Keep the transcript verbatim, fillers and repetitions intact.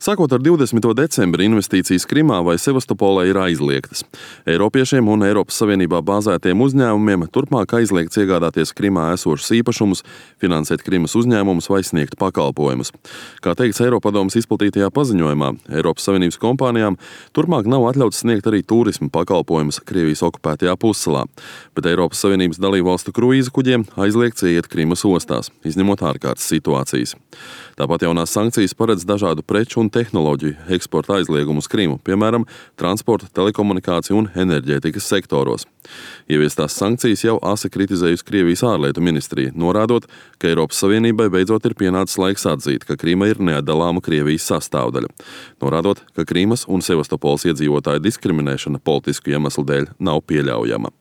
Sākot ar divdesmito decembri investīcijas Krimā vai Sevastopolē ir aizliegtas. Eiropiešiem un Eiropas Savienībā bāzētiem uzņēmumiem turpmāk aizliegts iegādāties Krimā esošus īpašumus, finansēt Krimas uzņēmumus vai sniegt pakalpojumus. Kā teikts Eiropadomes izplatītajā paziņojumā, Eiropas Savienības kompānijām turpmāk nav atļauts sniegt arī turisma pakalpojumus Krievijas okupētajā pussalā, bet Eiropas Savienības dalībvalstu kruīza kuģiem aizliegts ieiet Krimas ostās, izņemot ārkārtas situācijas. Tāpat jaunās sankcijas paredz dažādu preču un tehnoloģiju eksporta aizliegumu uz Krimu, piemēram, transporta, telekomunikāciju un enerģētikas sektoros. Ieviestās sankcijas jau asi kritizējusi Krievijas ārlietu ministrija, norādot, ka Eiropas Savienībai beidzot ir pienācis laiks atzīt, ka Krima ir neatdalāma Krievijas sastāvdaļa, norādot, ka Krimas un Sevastopoles iedzīvotāju diskriminēšana politisku iemeslu dēļ nav pieļaujama.